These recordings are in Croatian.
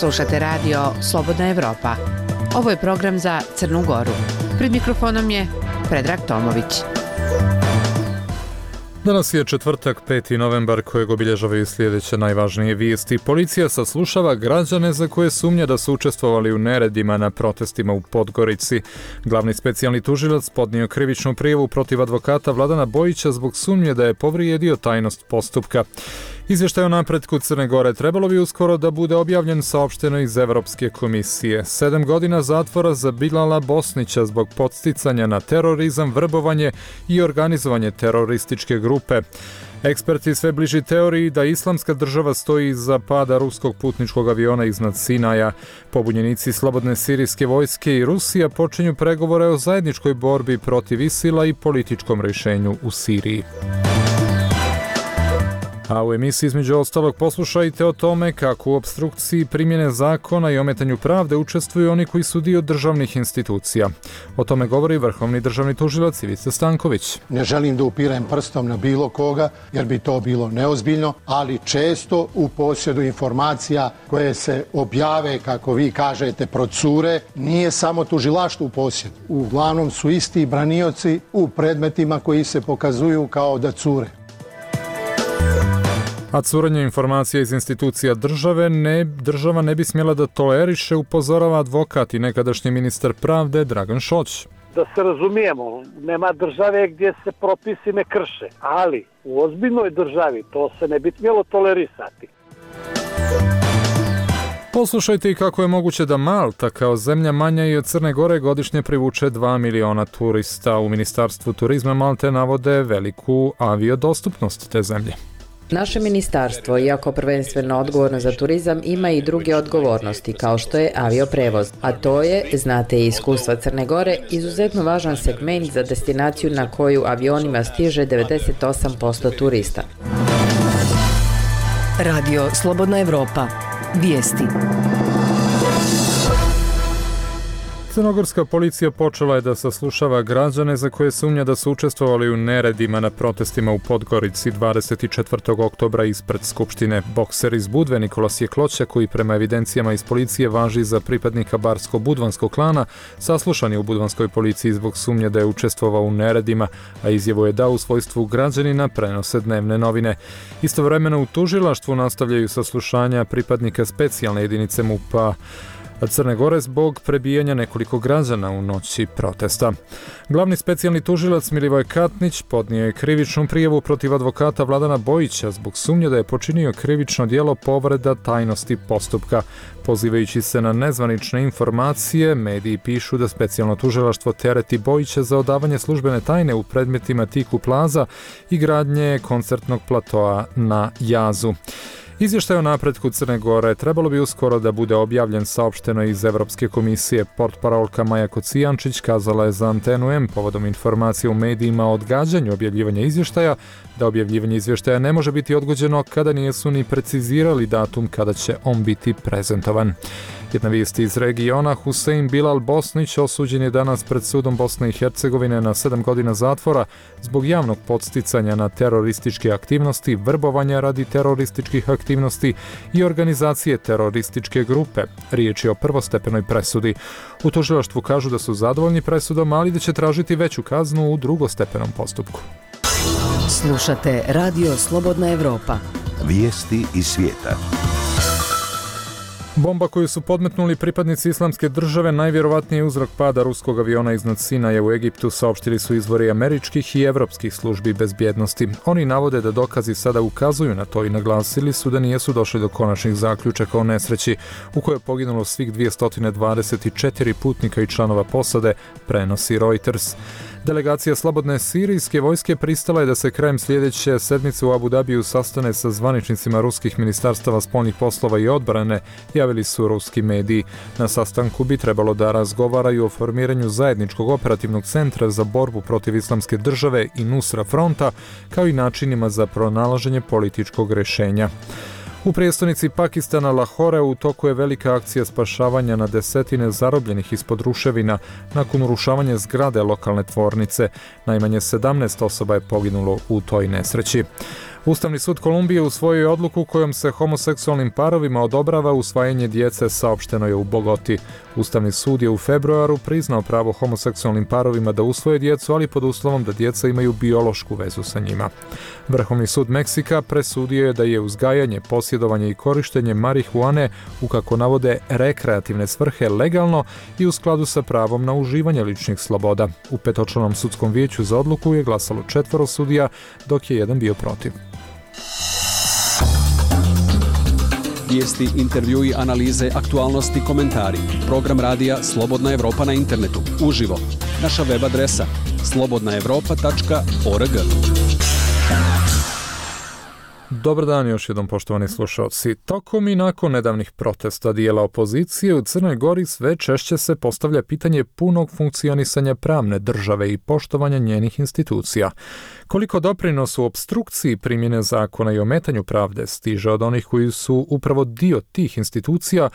Slušate radio Slobodna Evropa. Ovo je program za Crnu Goru. Pred mikrofonom je Predrag Tomović. Danas je četvrtak, 5. novembar, kojeg obilježavaju sljedeće najvažnije vijesti. Policija saslušava građane za koje sumnja da su učestvovali u neredima na protestima u Podgorici. Glavni specijalni tužilac podnio krivičnu prijavu protiv advokata Vladana Bojića zbog sumnje da je povrijedio tajnost postupka. Izvještaj o napretku Crne Gore trebalo bi uskoro da bude objavljen, saopšteno iz Evropske komisije. 7 godina zatvora za Bilala Bosnića zbog podsticanja na terorizam, vrbovanje i organizovanje terorističke grupe. Eksperti sve bliži teoriji da Islamska država stoji iza pada ruskog putničkog aviona iznad Sinaja. Pobunjenici slobodne sirijske vojske i Rusija počinju pregovore o zajedničkoj borbi protiv ISIL-a i političkom rješenju u Siriji. A u emisiji između ostalog poslušajte o tome kako u opstrukciji primjene zakona i ometanju pravde učestvuju oni koji su dio državnih institucija. O tome govori vrhovni državni tužilac Ivica Stanković. Ne želim da upirem prstom na bilo koga jer bi to bilo neozbiljno, ali često u posjedu informacija koje se objave, kako vi kažete, procure, nije samo tužilaštvo u posjedu. Uglavnom su isti branioci u predmetima koji se pokazuju kao da cure. A curenje informacija iz institucija država ne bi smjela da toleriše, upozorava advokat i nekadašnji ministar pravde Dragan Šoć. Da se razumijemo, nema države gdje se propisi ne krše, ali u ozbiljnoj državi to se ne bi smjelo tolerisati. Poslušajte i kako je moguće da Malta kao zemlja manja i od Crne Gore godišnje privuče 2 miliona turista. U Ministarstvu turizma Malte navode veliku aviodostupnost te zemlje. Naše ministarstvo, iako prvenstveno odgovorno za turizam, ima i druge odgovornosti, kao što je avioprevoz. A to je, znate i iskustva Crne Gore, izuzetno važan segment za destinaciju na koju avionima stiže 98% turista. Radio Slobodna Evropa. Vijesti. Crnogorska policija počela je da saslušava građane za koje sumnja da su učestvovali u neredima na protestima u Podgorici 24. oktobra ispred Skupštine. Bokser iz Budve Nikola Sjekloća, koji prema evidencijama iz policije važi za pripadnika barsko-budvanskog klana, saslušan je u budvanskoj policiji zbog sumnje da je učestvovao u neredima, a izjavu je dao u svojstvu građanina, prenose dnevne novine. Istovremeno u tužilaštvu nastavljaju saslušanja pripadnika specijalne jedinice MUP-a Crne Gore zbog prebijanja nekoliko građana u noći protesta. Glavni specijalni tužilac Milivoj Katnić podnio je krivičnu prijavu protiv advokata Vladana Bojića zbog sumnje da je počinio krivično djelo povreda tajnosti postupka. Pozivajući se na nezvanične informacije, mediji pišu da specijalno tužilaštvo tereti Bojića za odavanje službene tajne u predmetima Tiku Plaza i gradnje koncertnog platoa na Jazu. Izvještaj o napretku Crne Gore trebalo bi uskoro da bude objavljen, saopšteno iz Evropske komisije. Portparolka Maja Kocijančić kazala je za Antenu M povodom informacije u medijima o odgađanju objavljivanja izvještaja da objavljivanje izvještaja ne može biti odgođeno kada nisu ni precizirali datum kada će on biti prezentovan. Jedna vijest iz regiona, Husein Bilal Bosnić osuđen je danas pred sudom Bosne i Hercegovine na 7 godina zatvora zbog javnog podsticanja na terorističke aktivnosti, vrbovanja radi terorističkih aktivnosti i organizacije terorističke grupe. Riječ je o prvostepenoj presudi. U tužilaštvu kažu da su zadovoljni presudom, ali da će tražiti veću kaznu u drugostepenom postupku. Slušate Radio Slobodna Evropa. Vijesti iz svijeta. Bomba koju su podmetnuli pripadnici Islamske države najvjerovatniji je uzrok pada ruskog aviona iznad Sinaja u Egiptu, saopštili su izvori američkih i evropskih službi bezbjednosti. Oni navode da dokazi sada ukazuju na to i naglasili su da nijesu došli do konačnih zaključaka o nesreći u kojoj je poginulo svih 224 putnika i članova posade, prenosi Reuters. Delegacija slobodne sirijske vojske pristala je da se krajem sljedeće sedmice u Abu Dabiju sastane sa zvaničnicima ruskih ministarstava spoljnih poslova i odbrane, javili su ruski mediji. Na sastanku bi trebalo da razgovaraju o formiranju zajedničkog operativnog centra za borbu protiv Islamske države i Nusra fronta, kao i načinima za pronalaženje političkog rješenja. U prijestolnici Pakistana Lahore u toku je velika akcija spašavanja na desetine zarobljenih ispod ruševina nakon urušavanja zgrade lokalne tvornice. Najmanje 17 osoba je poginulo u toj nesreći. Ustavni sud Kolumbije usvojio je odluku kojom se homoseksualnim parovima odobrava usvajanje djece, saopšteno je u Bogoti. Ustavni sud je u februaru priznao pravo homoseksualnim parovima da usvoje djecu, ali pod uslovom da djeca imaju biološku vezu sa njima. Vrhovni sud Meksika presudio je da je uzgajanje, posjedovanje i korištenje marihuane u, kako navode, rekreativne svrhe legalno i u skladu sa pravom na uživanje ličnih sloboda. U petočlanom sudskom vijeću za odluku je glasalo 4 sudija, dok je jedan bio protiv. Vijesti, intervjui, analize, aktualnosti, komentari. Program radija Slobodna Evropa na internetu. Uživo. Naša web adresa slobodnaevropa.org. Dobar dan još jednom, poštovani slušalci. Tokom i nakon nedavnih protesta dijela opozicije u Crnoj Gori sve češće se postavlja pitanje punog funkcionisanja pravne države i poštovanja njenih institucija. Koliko doprinos u opstrukciji primjene zakona i ometanju pravde stiže od onih koji su upravo dio tih institucija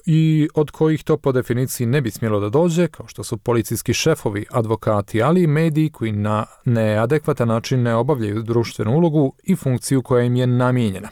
i od kojih to po definiciji ne bi smjelo da dođe, kao što su policijski šefovi, advokati, ali i mediji koji na neadekvatan način ne obavljaju društvenu ulogu i funkciju koja im je namijenjena.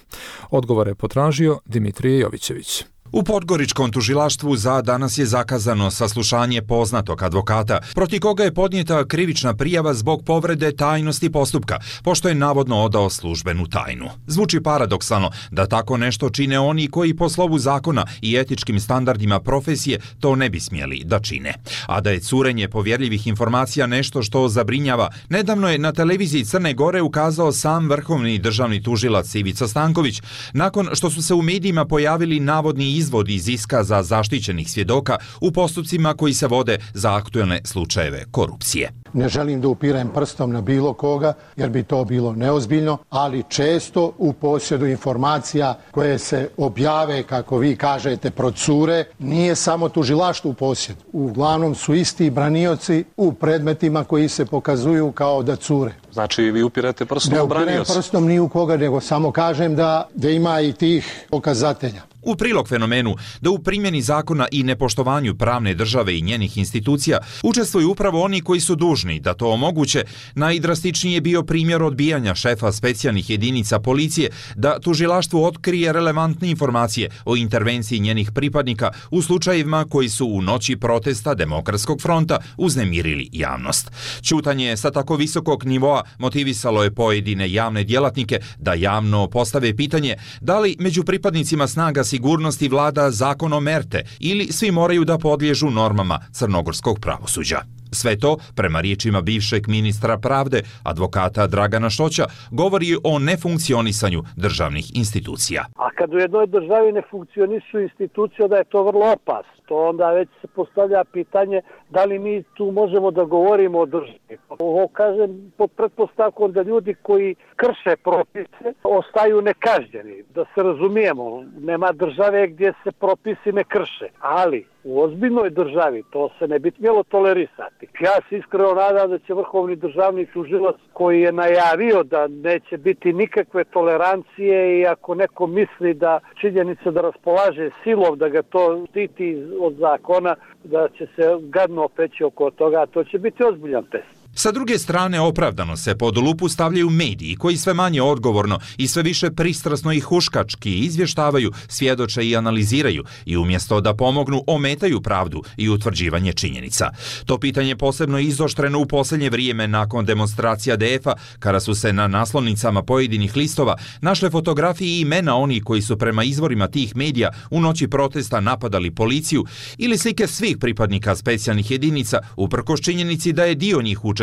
Odgovor je potražio Dimitrije Jovićević. U Podgoričkom tužilaštvu za danas je zakazano saslušanje poznatog advokata, protiv koga je podnijeta krivična prijava zbog povrede tajnosti postupka, pošto je navodno odao službenu tajnu. Zvuči paradoksalno da tako nešto čine oni koji po slovu zakona i etičkim standardima profesije to ne bi smjeli da čine. A da je curenje povjerljivih informacija nešto što zabrinjava, nedavno je na televiziji Crne Gore ukazao sam vrhovni državni tužilac Ivica Stanković, nakon što su se u medijima pojavili navodni izvod iz iskaza zaštićenih svjedoka u postupcima koji se vode za aktuelne slučajeve korupcije. Ne želim da upirem prstom na bilo koga, jer bi to bilo neozbiljno, ali često u posjedu informacija koje se objave, kako vi kažete, procure, nije samo tužilaštvo u posjedu. Uglavnom su isti branioci u predmetima koji se pokazuju kao da cure. Znači vi upirate prstom u branioci? Ne upirem prstom ni u koga, nego samo kažem da ima i tih pokazatelja. U prilog fenomenu da u primjeni zakona i nepoštovanju pravne države i njenih institucija učestvuju upravo oni koji su dužni da to omoguće, najdrastičniji je bio primjer odbijanja šefa specijalnih jedinica policije da tužilaštvu otkrije relevantne informacije o intervenciji njenih pripadnika u slučajevima koji su u noći protesta Demokratskog fronta uznemirili javnost. Ćutanje sa tako visokog nivoa motivisalo je pojedine javne djelatnike da javno postave pitanje da li među pripadnicima snaga sigurnosti vlada zakon o merte ili svi moraju da podliježu normama crnogorskog pravosuđa. Sve to, prema riječima bivšeg ministra pravde, advokata Dragana Šoća, govori o nefunkcionisanju državnih institucija. A kad u jednoj državi ne funkcionišu institucije, da je to vrlo opasno. To onda već se postavlja pitanje da li mi tu možemo da govorimo o državi. Ovo kažem pod pretpostavkom da ljudi koji krše propise ostaju nekažnjeni. Da se razumijemo, nema države gdje se propisi ne krše, ali u ozbiljnoj državi to se ne bi smjelo tolerisati. Ja se iskreno nadam da će vrhovni državni tužilac koji je najavio da neće biti nikakve tolerancije i ako neko misli da činjenica da raspolaže silom, da ga to štiti od zakona, da će se gadno opeći oko toga, to će biti ozbiljan test. Sa druge strane, opravdano se pod lupu stavljaju mediji koji sve manje odgovorno i sve više pristrasno i huškački izvještavaju, svjedoče i analiziraju i umjesto da pomognu, ometaju pravdu i utvrđivanje činjenica. To pitanje posebno izoštreno u posljednje vrijeme nakon demonstracija DF-a, kada su se na naslovnicama pojedinih listova našle fotografije i imena onih koji su prema izvorima tih medija u noći protesta napadali policiju ili slike svih pripadnika specijalnih jedinica uprkos činjenici da je dio njih učestvovao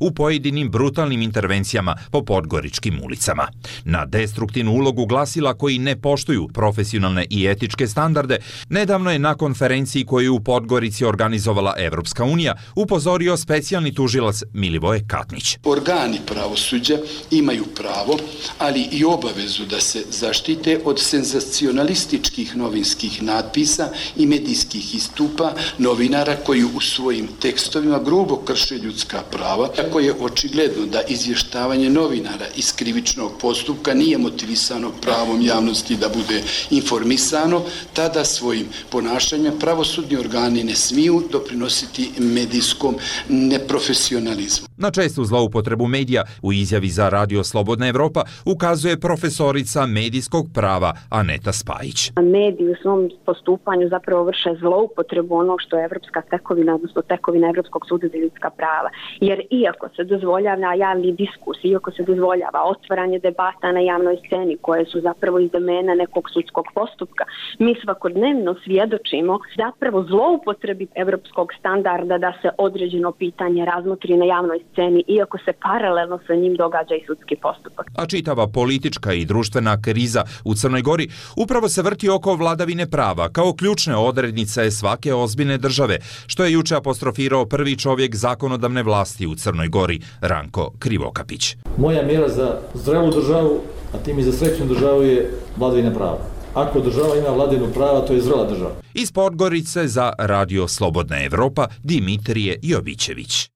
u pojedinim brutalnim intervencijama po podgoričkim ulicama. Na destruktivnu ulogu glasila koji ne poštuju profesionalne i etičke standarde, nedavno je na konferenciji koju je u Podgorici organizovala Evropska unija upozorio specijalni tužilac Milivoje Katnić. Organi pravosuđa imaju pravo, ali i obavezu da se zaštite od senzacionalističkih novinskih natpisa i medijskih istupa novinara koji u svojim tekstovima grubo krše ljudska prava. Ako je očigledno da izvještavanje novinara iz krivičnog postupka nije motivisano pravom javnosti da bude informisano, tada svojim ponašanjem pravosudni organi ne smiju doprinositi medijskom neprofesionalizmu. Na čestu zloupotrebu medija u izjavi za Radio Slobodna Evropa ukazuje profesorica medijskog prava Aneta Spajić. Mediji u svom postupanju zapravo vrše zloupotrebu onog što je evropska tekovina, odnosno tekovina Evropskog suda za ljudska prava. Jer iako se dozvoljava javni diskurs, iako se dozvoljava otvaranje debata na javnoj sceni koje su zapravo iz domena nekog sudskog postupka, mi svakodnevno svjedočimo zapravo zloupotrebi evropskog standarda da se određeno pitanje razmotri na javnoj sceni, iako se paralelno sa njim događa i sudski postupak. A čitava politička i društvena kriza u Crnoj Gori upravo se vrti oko vladavine prava kao ključne odrednice svake ozbiljne države, što je juče apostrofirao prvi čovjek zakonodavne vlasti u Crnoj Gori, Ranko Krivokapić. Moja mjera za zdravu državu, a tim i za srećnu državu je vladavina prava. Ako država ima vladavinu prava, to je zrela država. Iz Podgorice za Radio Slobodna Evropa, Dimitrije Jovićević.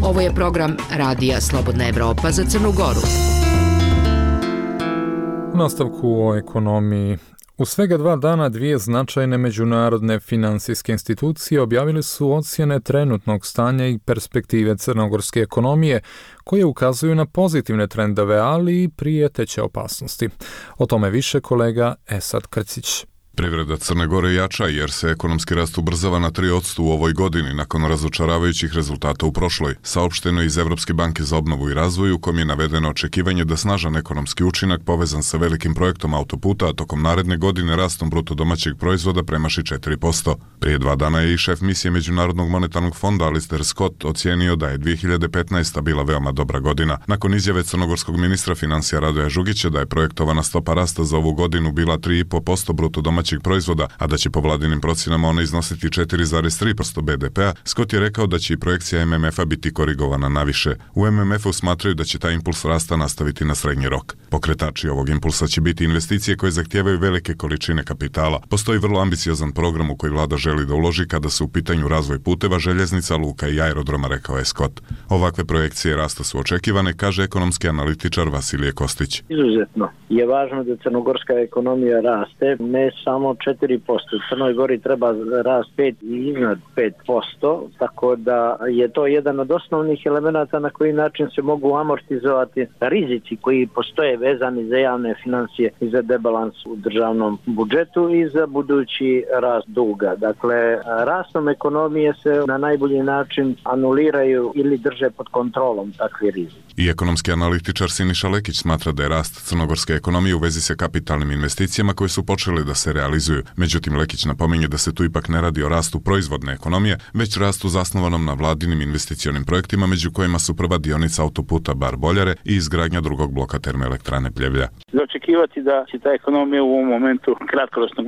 Ovo je program Radija Slobodna Evropa za Crnu Goru. U nastavku o ekonomiji. U svega 2 dana 2 značajne međunarodne finansijske institucije objavili su ocjene trenutnog stanja i perspektive crnogorske ekonomije, koje ukazuju na pozitivne trendove, ali i prijeteće opasnosti. O tome više kolega Esad Krcić. Privreda Crne Gore jača jer se ekonomski rast ubrzava na 3% u ovoj godini nakon razočaravajućih rezultata u prošloj. Saopšteno iz Evropske banke za obnovu i razvoj, u kom je navedeno očekivanje da snažan ekonomski učinak povezan sa velikim projektom autoputa, a tokom naredne godine rastom bruto domaćeg proizvoda premaši 4%. Prije 2 dana je i šef misije Međunarodnog monetarnog fonda Alistair Scott ocijenio da je 2015. bila veoma dobra godina. Nakon izjave crnogorskog ministra financija Radoja Žugića da je projektovana stopa rasta za ovu godinu bila 3,5% bruto domaćeg proizvoda, a da će po vladinim procjenama ona iznositi 4,3% BDP-a, Scott je rekao da će i projekcija MMF-a biti korigovana naviše. U MMF-u smatraju da će taj impuls rasta nastaviti na srednji rok. Pokretači ovog impulsa će biti investicije koje zahtijevaju velike količine kapitala. Postoji vrlo ambiciozan program u koji vlada želi da uloži kada se u pitanju razvoj puteva, željeznica, luka i aerodroma, rekao je Scott. Ovakve projekcije rasta su očekivane, kaže ekonomski analitičar Vasilije Kostić. Izuzetno je važno da crnogorska ekonomija raste, ne samo 4%. U Crnoj Gori treba rast 5 i iznad 5%, tako da je to jedan od osnovnih elemenata na koji način se mogu amortizovati rizici koji postoje vezani za javne financije i za debalans u državnom budžetu i za budući rast duga. Dakle, rastom ekonomije se na najbolji način anuliraju ili drže pod kontrolom takvi rizici. I ekonomski analitičar Siniša Lekić smatra da je rast crnogorske ekonomije u vezi sa kapitalnim investicijama koje su počele da se realizuju. Međutim, Lekić napominje da se tu ipak ne radi o rastu proizvodne ekonomije, već rastu zasnovanom na vladinim investicionim projektima, među kojima su prva dionica autoputa Bar-Boljare i izgradnja drugog bloka termoelektrane Pljevlja. Za očekivati da će ta ekonomija u ovom momentu kratkoročno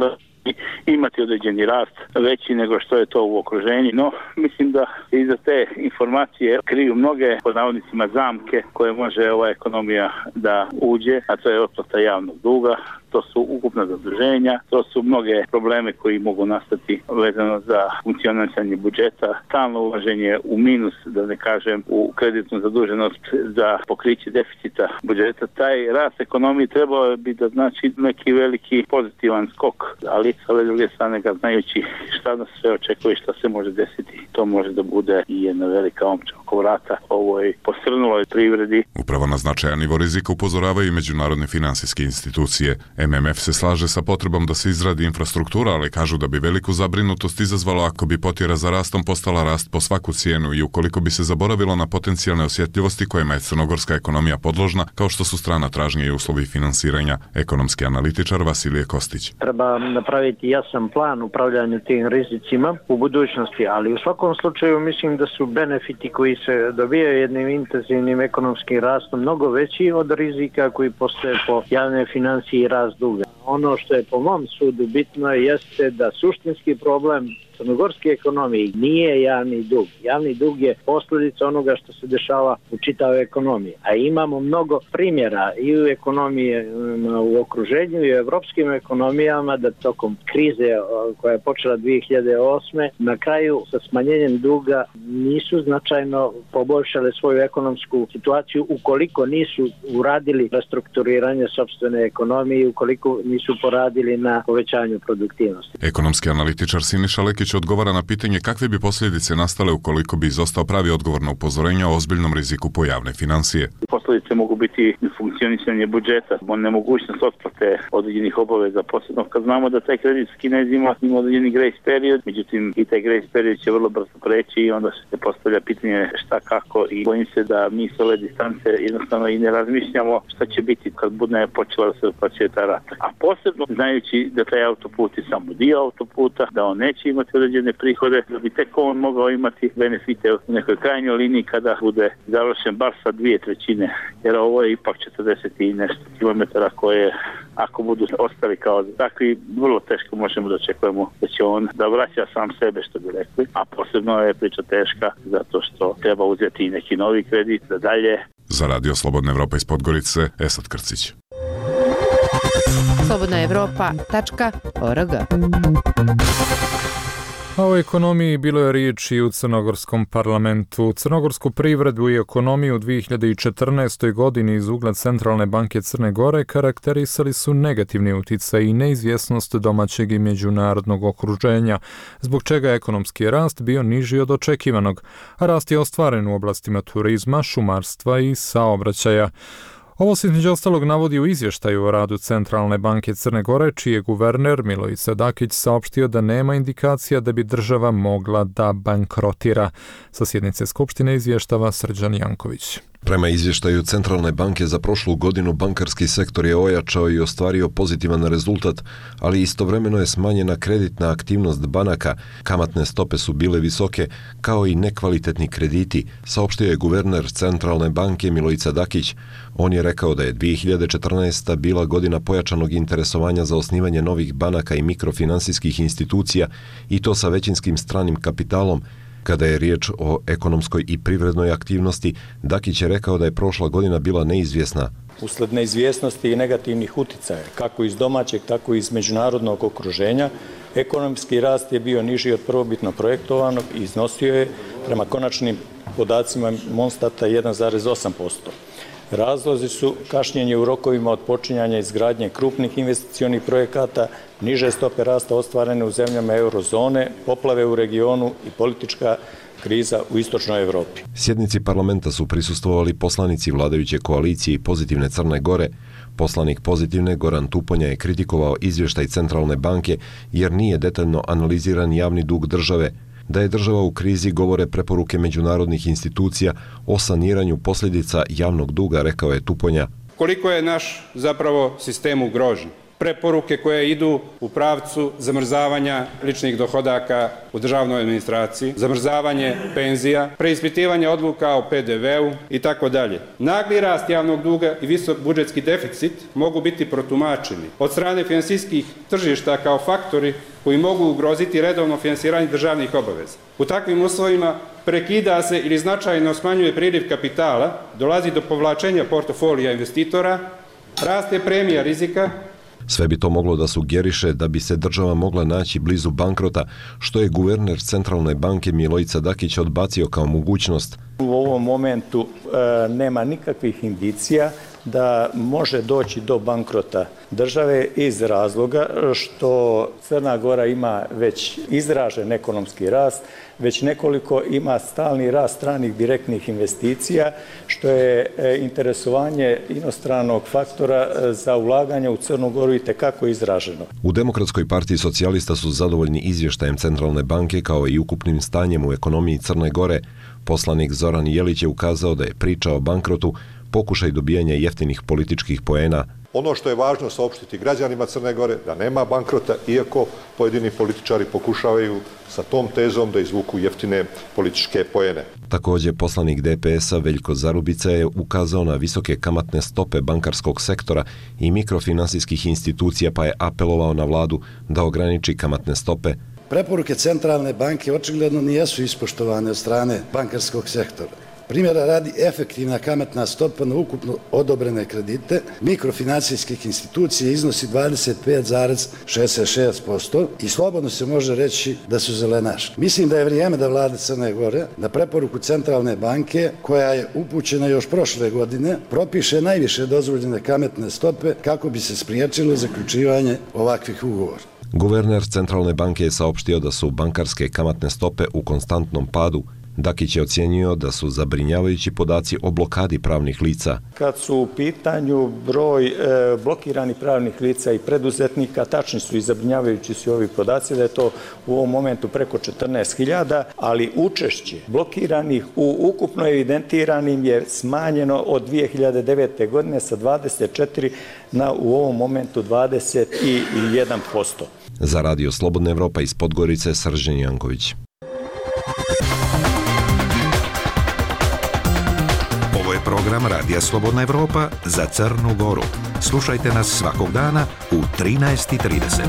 imati određeni rast veći nego što je to u okruženju, no mislim da iza te informacije kriju mnoge, pod navodnicima, zamke koje može ova ekonomija da uđe, a to je otplata javnog duga, to su ukupna zaduženja, to su mnoge probleme koji mogu nastati vezano za funkcionisanje budžeta, stalno ulaženje u minus, da ne kažem u kreditnu zaduženost za pokriće deficita budžeta. Taj rast ekonomije trebao bi da znači neki veliki pozitivan skok, ali sa ove druge strane ga znajući šta nas sve očekuje, šta se može desiti, to može da bude i jedna velika omča oko vrata ovoj posrnuloj privredi. Upravo na značajan nivo rizika upozoravaju i međunarodne finansijske institucije. MMF se slaže sa potrebom da se izradi infrastruktura, ali kažu da bi veliku zabrinutost izazvalo ako bi potjera za rastom postala rast po svaku cijenu i ukoliko bi se zaboravilo na potencijalne osjetljivosti kojima je crnogorska ekonomija podložna, kao što su strana tražnje i uslovi finansiranja. Ekonomski analitičar Vasilije Kostić. Treba napraviti jasan plan upravljanju tim rizicima u budućnosti, ali u svakom slučaju mislim da su benefiti koji se dobijaju jednim intenzivnim ekonomskim rastom mnogo veći od rizika koji postoje po javne financije i rast duga. Ono što je po mom sudu bitno jeste da suštinski problem crnogorske ekonomije nije javni dug. Javni dug je posljedica onoga što se dešava u čitavoj ekonomiji. A imamo mnogo primjera i u ekonomiji u okruženju i u evropskim ekonomijama da tokom krize koja je počela 2008. na kraju sa smanjenjem duga nisu značajno poboljšale svoju ekonomsku situaciju ukoliko nisu uradili restrukturiranje sopstvene ekonomije, ukoliko nisu su poradili na povećanju produktivnosti. Ekonomski analitičar Siniša Lekić odgovara na pitanje kakve bi posljedice nastale ukoliko bi izostao pravi odgovor na upozorenja o ozbiljnom riziku po javne financije. Posljedice mogu biti funkcionisanje budžeta, nemogućnost otplate određenih obaveza, posebno kad znamo da taj kredit s Kinezima ima određeni grace period, međutim i taj grace period će vrlo brzo preći i onda se postavlja pitanje šta kako i bojim se da mi s ove distance jednostavno i ne razmišljamo šta će biti kad bude počela da se otplaćuje ta rata. A posebno znajući da taj autoput je samo dio autoputa, da on neće imati određene prihode, da bi tek on mogao imati benefite u nekoj krajnjoj liniji kada bude završen bar sa 2/3, jer ovo je ipak 40 i nešto kilometara koje ako budu ostali kao takvi, vrlo teško možemo da očekujemo da će on da vraća sam sebe, što bi rekli, a posebno je priča teška zato što treba uzeti neki novi kredit da dalje. Za Radio Slobodna Evropa iz Podgorice, Esad Krcić. slobodnaevropa.org. A o ekonomiji bilo je riječi u Crnogorskom parlamentu. Crnogorsku privredu i ekonomiju u 2014. godini iz ugla Centralne banke Crne Gore karakterisali su negativni utjecaj i neizvjesnost domaćeg i međunarodnog okruženja, zbog čega je ekonomski rast bio niži od očekivanog, a rast je ostvaren u oblastima turizma, šumarstva i saobraćaja. Ovo se između ostalog navodi u izvještaju o radu Centralne banke Crne Gore, čiji je guverner Milojica Dakić saopštio da nema indikacija da bi država mogla da bankrotira. Sa sjednice Skupštine izvještava Srđan Janković. Prema izvještaju Centralne banke za prošlu godinu bankarski sektor je ojačao i ostvario pozitivan rezultat, ali istovremeno je smanjena kreditna aktivnost banaka, kamatne stope su bile visoke, kao i nekvalitetni krediti, saopštio je guverner Centralne banke Milojica Dakić. On je rekao da je 2014. bila godina pojačanog interesovanja za osnivanje novih banaka i mikrofinansijskih institucija i to sa većinskim stranim kapitalom. Kada je riječ o ekonomskoj i privrednoj aktivnosti, Dakić je rekao da je prošla godina bila neizvjesna. Usled neizvjesnosti i negativnih uticaja, kako iz domaćeg, tako i iz međunarodnog okruženja, ekonomski rast je bio niži od prvobitno projektovanog i iznosio je, prema konačnim podacima Monstata, 1,8%. Razlozi su kašnjenje u rokovima od počinjanja izgradnje krupnih investicionih projekata, niže stope rasta ostvarene u zemljama eurozone, poplave u regionu i politička kriza u istočnoj Evropi. Sjednici parlamenta su prisustvovali poslanici vladajuće koalicije i Pozitivne Crne Gore. Poslanik Pozitivne Goran Tuponja je kritikovao izvještaj Centralne banke jer nije detaljno analiziran javni dug države. Da je država u krizi govore preporuke međunarodnih institucija o saniranju posljedica javnog duga, rekao je Tuponja. Koliko je naš zapravo sistem ugrožen? Preporuke koje idu u pravcu zamrzavanja ličnih dohodaka u državnoj administraciji, zamrzavanje penzija, preispitivanje odluka o PDV-u i tako dalje. Nagli rast javnog duga i visok budžetski deficit mogu biti protumačeni od strane finansijskih tržišta kao faktori koji mogu ugroziti redovno finansiranje državnih obaveza. U takvim uslovima prekida se ili značajno smanjuje priliv kapitala, dolazi do povlačenja portofolija investitora, raste premija rizika. Sve bi to moglo da sugeriše da bi se država mogla naći blizu bankrota, što je guverner Centralne banke Milojica Dakić odbacio kao mogućnost. U ovom momentu nema nikakvih indicija da može doći do bankrota države iz razloga što Crna Gora ima već izražen ekonomski rast, već nekoliko ima stalni rast stranih direktnih investicija, što je interesovanje inostranog faktora za ulaganje u Crnu Goru itekako izraženo. U Demokratskoj partiji socijalista su zadovoljni izvještajem Centralne banke kao i ukupnim stanjem u ekonomiji Crne Gore. Poslanik Zoran Jelić je ukazao da je priča o bankrotu pokušaj dobijanja jeftinih političkih poena. Ono što je važno saopštiti građanima Crne Gore, da nema bankrota, iako pojedini političari pokušavaju sa tom tezom da izvuku jeftine političke poene. Također, poslanik DPS-a Veljko Zarubica je ukazao na visoke kamatne stope bankarskog sektora i mikrofinansijskih institucija, pa je apelovao na vladu da ograniči kamatne stope. Preporuke Centralne banke očigledno nijesu ispoštovane od strane bankarskog sektora. Primjera radi, efektivna kamatna stopa na ukupno odobrene kredite mikrofinancijskih institucija iznosi 25,66% i slobodno se može reći da su zelenaški. Mislim da je vrijeme da vlada Crne Gore na preporuku Centralne banke, koja je upućena još prošle godine, propiše najviše dozvoljene kamatne stope kako bi se spriječilo zaključivanje ovakvih ugovora. Guverner Centralne banke je saopštio da su bankarske kamatne stope u konstantnom padu. Dakić je ocijenio da su zabrinjavajući podaci o blokadi pravnih lica. Kad su u pitanju broj blokiranih pravnih lica i preduzetnika, tačni su i zabrinjavajući su ovi podaci da je to u ovom momentu preko 14.000, ali učešće blokiranih u ukupno evidentiranim je smanjeno od 2009. godine sa 24 na u ovom momentu 21%. Za Radio Slobodna Evropa iz Podgorice, Srđan Janković. Ovo je program Radija Slobodna Evropa za Crnu Goru. Slušajte nas svakog dana u 13:30.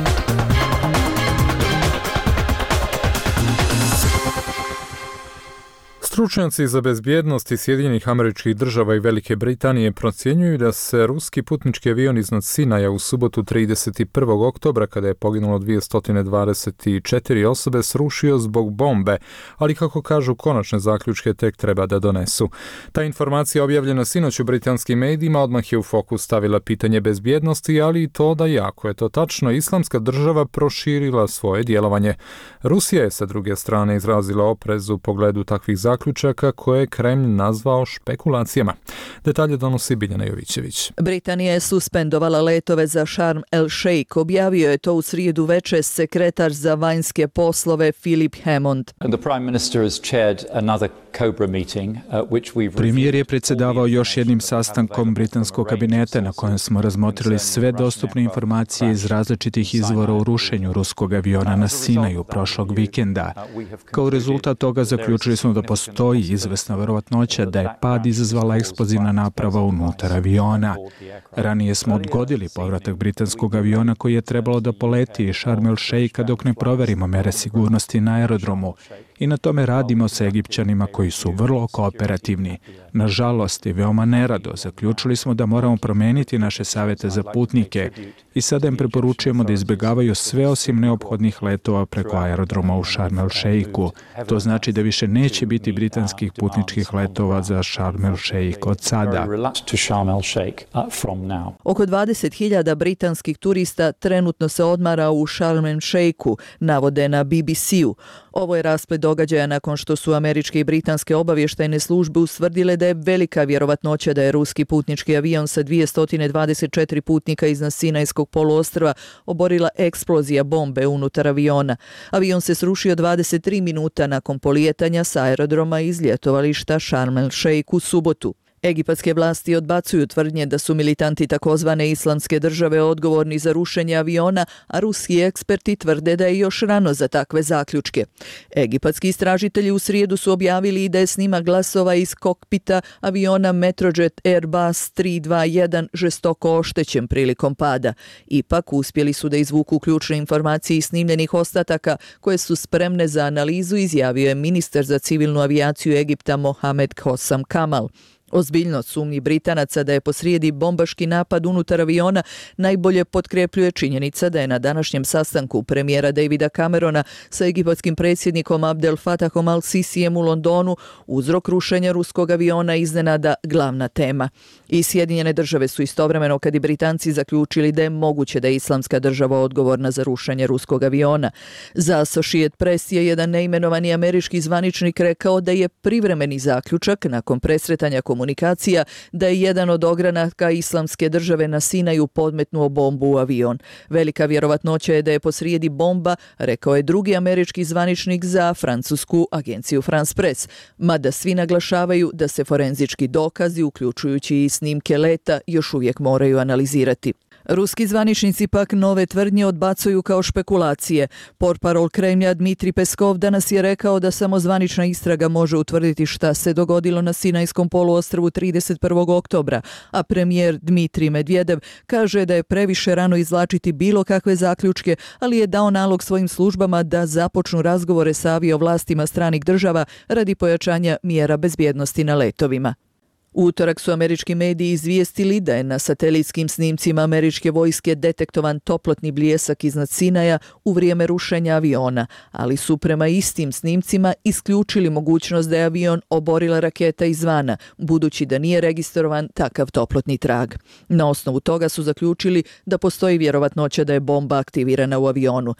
Stručnjaci za bezbjednost Sjedinjenih Američkih Država i Velike Britanije procjenjuju da se ruski putnički avion iznad Sinaja u subotu 31. oktobra, kada je poginulo 224 osobe, srušio zbog bombe, ali kako kažu, konačne zaključke tek treba da donesu. Ta informacija objavljena sinoć u britanskim medijima odmah je u fokus stavila pitanje bezbjednosti, ali i to da, jako je to tačno, Islamska država proširila svoje djelovanje. Rusija je sa druge strane izrazila oprez u pogledu takvih zaključaka koje je Kremlj nazvao špekulacijama. Detalje donosi Biljana Jovićević. Britanija je suspendovala letove za Sharm el Sheikh, objavio je to u srijedu večer sekretar za vanjske poslove Philip Hammond. Premijer je predsjedavao još jednim sastankom britanskog kabineta na kojem smo razmotrili sve dostupne informacije iz različitih izvora o rušenju ruskog aviona na Sinaju prošlog vikenda. Kao rezultat toga zaključili smo da postoji izvesna verovatnoća da je pad izazvala eksplozivna naprava unutar aviona. Ranije smo odgodili povratak britanskog aviona koji je trebalo da poleti iz Sharm el Sheikha dok ne proverimo mere sigurnosti na aerodromu. I na tome radimo sa Egipćanima koji su vrlo kooperativni. Nažalost i veoma nerado zaključili smo da moramo promeniti naše savjete za putnike i sada im preporučujemo da izbjegavaju sve osim neophodnih letova preko aerodroma u Sharm el Sheikhu. To znači da više neće biti britanskih putničkih letova za Sharm el Sheikh od sada. Oko 20.000 britanskih turista trenutno se odmara u Sharm el Sheikhu, navode na BBC-u. Ovo je rasplet događaja nakon što su američke i britanske obavještajne službe ustvrdile da je velika vjerovatnoća da je ruski putnički avion sa 224 putnika iznad Sinajskog poluostrva oborila eksplozija bombe unutar aviona. Avion se srušio 23 minuta nakon polijetanja sa aerodroma iz ljetovališta Sharm el Sheikh u subotu. Egipatske vlasti odbacuju tvrdnje da su militanti takozvane Islamske države odgovorni za rušenje aviona, a ruski eksperti tvrde da je još rano za takve zaključke. Egipatski istražitelji u srijedu su objavili i da je snimak glasova iz kokpita aviona Metrojet Airbus 321 žestoko oštećen prilikom pada. Ipak uspjeli su da izvuku ključne informacije iz snimljenih ostataka koje su spremne za analizu, izjavio je ministar za civilnu avijaciju Egipta Mohamed Hossam Kamal. Ozbiljnost sumnji Britanaca da je posrijedi bombaški napad unutar aviona najbolje potkrepljuje činjenica da je na današnjem sastanku premijera Davida Camerona sa egipatskim predsjednikom Abdel Fattahom al-Sisijem u Londonu uzrok rušenja ruskog aviona iznenada glavna tema. I Sjedinjene države su istovremeno, kad i Britanci, zaključili da je moguće da je Islamska država odgovorna za rušenje ruskog aviona. Za Associated Press je jedan neimenovani američki zvaničnik rekao da je privremeni zaključak nakon presretanja komunikacija da je jedan od ogranaka Islamske države na Sinaju podmetnuo bombu u avion. Velika vjerovatnoća je da je posrijedi bomba, rekao je drugi američki zvaničnik za francusku agenciju France Press, mada svi naglašavaju da se forenzički dokazi, uključujući i snimke leta, još uvijek moraju analizirati. Ruski zvaničnici pak nove tvrdnje odbacuju kao špekulacije. Portparol Kremlja Dmitrij Peskov danas je rekao da samo zvanična istraga može utvrditi šta se dogodilo na Sinajskom poluostrvu 31. oktobra, a premijer Dmitrij Medvedev kaže da je previše rano izvlačiti bilo kakve zaključke, ali je dao nalog svojim službama da započnu razgovore sa aviovlastima stranih država radi pojačanja mjera bezbjednosti na letovima. U utorak su američki mediji izvijestili da je na satelitskim snimcima američke vojske detektovan toplotni bljesak iznad Sinaja u vrijeme rušenja aviona, ali su prema istim snimcima isključili mogućnost da je avion oborila raketa izvana, budući da nije registrovan takav toplotni trag. Na osnovu toga su zaključili da postoji vjerovatnoća da je bomba aktivirana u avionu.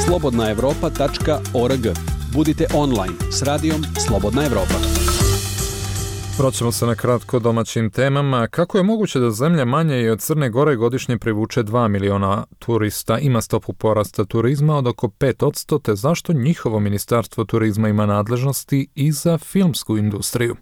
slobodnaevropa.org. Budite online s radijom Slobodna Evropa. Vraćamo se na kratko domaćim temama. Kako je moguće da zemlja manje i od Crne Gore godišnje privuče 2 miliona turista, ima stopu porasta turizma od oko 5%, te zašto njihovo ministarstvo turizma ima nadležnosti i za filmsku industriju?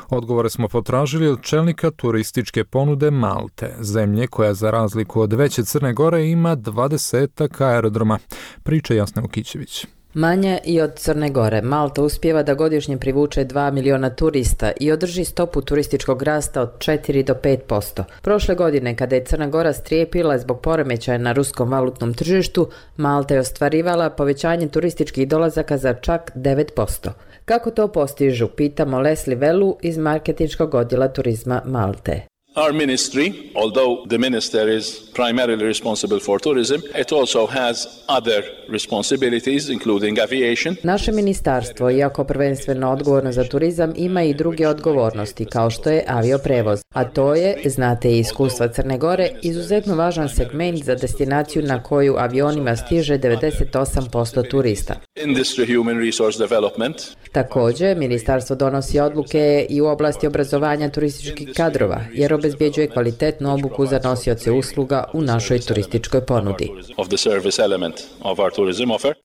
Odgovore smo potražili od čelnika turističke ponude Malte, zemlje koja za razliku od veće Crne Gore ima 20 aerodroma. Priča Jasna Ukićević. Manje i od Crne Gore, Malta uspijeva da godišnje privuče 2 miliona turista i održi stopu turističkog rasta od 4 do 5%. Prošle godine, kada je Crna Gora strijepila zbog poremećaja na ruskom valutnom tržištu, Malta je ostvarivala povećanje turističkih dolazaka za čak 9%. Kako to postižu, pitamo Leslie Velu iz marketinškog odjela turizma Malte. Our ministry, although the minister is primarily responsible for tourism, it also has other responsibilities, including aviation. Naše ministarstvo, iako prvenstveno odgovorno za turizam, ima i druge odgovornosti, kao što je avioprevoz. A to je, znate i iskustva Crne Gore, izuzetno važan segment za destinaciju na koju avionima stiže 98% turista. Industry human resource development. Također, ministarstvo donosi odluke i u oblasti obrazovanja turističkih kadrova, jer obezbjeđuje kvalitetnu obuku za nosioce usluga u našoj turističkoj ponudi.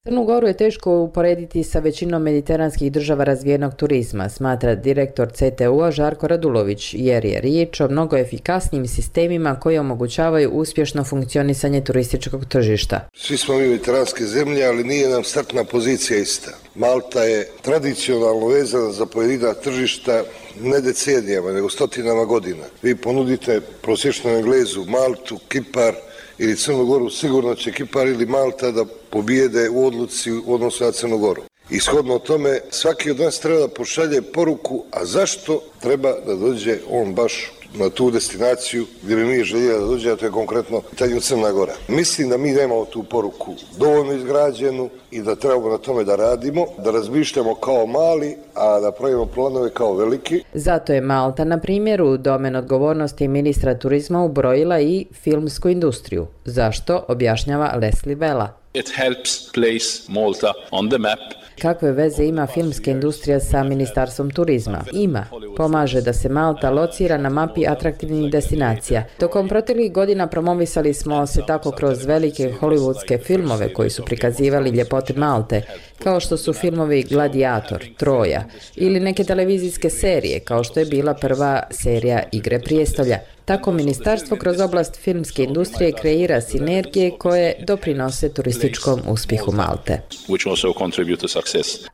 Crnu Goru je teško uporediti sa većinom mediteranskih država razvijenog turizma, smatra direktor CTU-a Žarko Radulović, jer je riječ o mnogo efikasnijim sistemima koji omogućavaju uspješno funkcionisanje turističkog tržišta. Svi smo mi mediteranske zemlje, ali nije nam startna pozicija ista. Malta je tradicionalno vezana za pojedina tržišta ne decenijama, nego stotinama godina. Vi ponudite prosječnom Englezu Maltu, Kipar ili Crnu Goru, sigurno će Kipar ili Malta da pobijede u odluci u odnosu na Crnu Goru. I shodno tome, svaki od nas treba da pošalje poruku, a zašto treba da dođe on baš na tu destinaciju gdje bi mi željeli da dođe, a to je konkretno pitanje Crna Gora. Mislim da mi nemamo tu poruku dovoljno izgrađenu i da trebamo na tome da radimo, da razmišljamo kao mali, a da pravimo planove kao veliki. Zato je Malta, na primjer, u domen odgovornosti ministra turizma ubrojila i filmsku industriju. Zašto, objašnjava Leslie Vela. It helps place Malta on the map. Kakve veze ima filmska industrija sa ministarstvom turizma? Ima. Pomaže da se Malta locira na mapi atraktivnih destinacija. Tokom proteklih godina promovisali smo se tako kroz velike hollywoodske filmove koji su prikazivali ljepote Malte, kao što su filmovi Gladiator, Troja ili neke televizijske serije, kao što je bila prva serija Igre prijestolja. Tako ministarstvo kroz oblast filmske industrije kreira sinergije koje doprinose turističkom uspjehu Malte.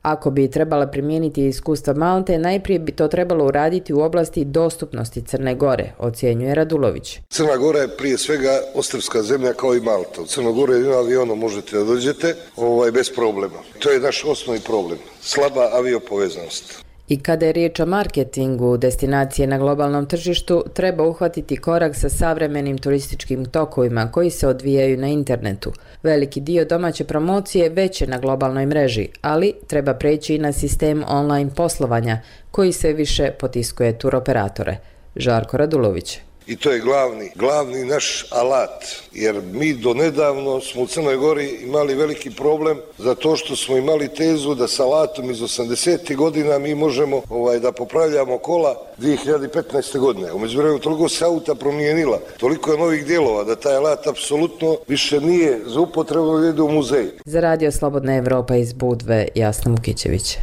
Ako bi trebala primijeniti iskustva Malte, najprije bi to trebalo uraditi u oblasti dostupnosti Crne Gore, ocjenjuje Radulović. Crna Gora je prije svega ostrvska zemlja kao i Malta. U Crnu Goru jedino avionom možete da dođete bez problema. To je naš osnovni problem. Slaba aviopovezanost. I kada je riječ o marketingu destinacije na globalnom tržištu, treba uhvatiti korak sa savremenim turističkim tokovima koji se odvijaju na internetu. Veliki dio domaće promocije već je na globalnoj mreži, ali treba preći i na sistem online poslovanja koji se više potiskuje turoperatore. Žarko Radulović. I to je glavni naš alat, jer mi do nedavno smo u Crnoj Gori imali veliki problem zato što smo imali tezu da sa alatom iz 80. godina mi možemo da popravljamo kola 2015. godine. U međuvremenu toliko se auta promijenila, toliko je novih dijelova da taj alat apsolutno više nije za upotrebu da ide u muzej. Za Radio Slobodna Evropa iz Budve, Jasna Mukićević.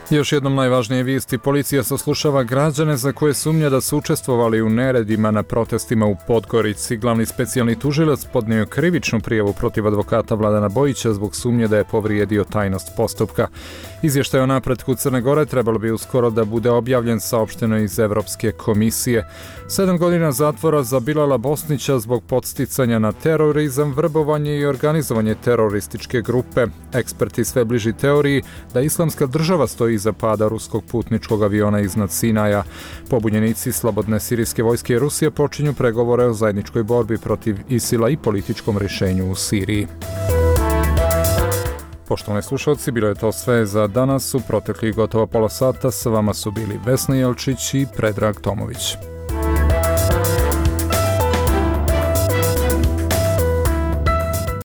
Još jednom najvažnije vijesti. Policija saslušava građane za koje sumnja da su učestvovali u neredima na protestima u Podgorici. Glavni specijalni tužilac podnio krivičnu prijavu protiv advokata Vladana Bojića zbog sumnje da je povrijedio tajnost postupka. Izvještaj o napretku Crne Gore trebalo bi uskoro da bude objavljen, saopšteno iz Evropske komisije. 7 godina zatvora za Bilala Bosnića zbog podsticanja na terorizam, vrbovanje i organizovanje terorističke grupe. Eksperti sve bliži teoriji da Islamska država stoji iza pada ruskog putničkog aviona iznad Sinaja. Pobunjenici slobodne sirijske vojske i Rusije počinju pregovore o zajedničkoj borbi protiv ISIL-a i političkom rješenju u Siriji. Poštovani slušalci, bilo je to sve za danas. U proteklih gotovo pola sata sa vama su bili Vesna Jelčić i Predrag Tomović.